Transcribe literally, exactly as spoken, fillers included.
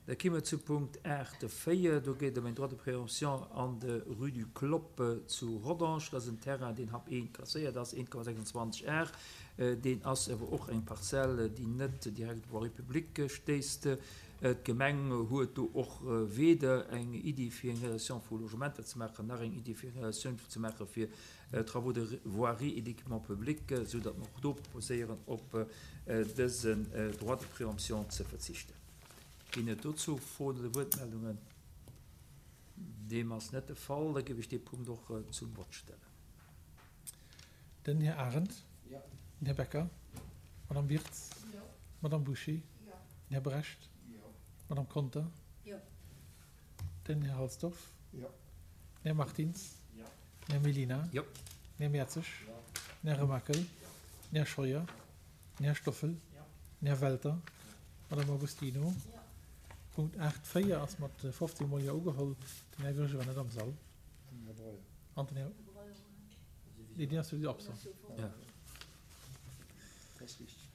Da gi mer zu Punkt aacht véier. Do geet et ëm en Droit de préemption an der Rue du Clopp zu Rodange. Dat ass en Terrain, deen Hap eent klasséiert ass, eent Komma sechsundzwanzeg Ar. Deen ass awer och eng Parzell, déi net direkt op d'Voirie publique stéisst. D'Gemeng huet do och weder eng Iddi fir eng Réalisation vu Logementer ze maachen, nach eng Iddi fir eng Réalisatioun ze maache fir Travaux de voirie et d'équipement public, esou datt mer och do proposéieren, op dësen Droit de préemption ze verzichten. Ginn et dozou Froen oder Wuertmeldungen? Deem ass net de Fall. Da géif ech dee Punkt och zum Vott stellen. Den Här Arendt. Den Här Becker. D'Madame Wirtz. D'Madame Bouché. Den Här Brecht. D'Madame Conter. Den Här Halsdorf. Den Här Martins. Den Här Mellina. Den Här Mertzig. Den Här Remakel. Den Här Scheuer. Den Här Stoffel. Den Här Welter. D'Madame Agostino. Punkt aacht véier ass mat fofzéng Mol Jo ugeholl. Den Här Goergen war net am Sall. An den Här. Nee, deen ass souwisou absent. Dat ass richteg.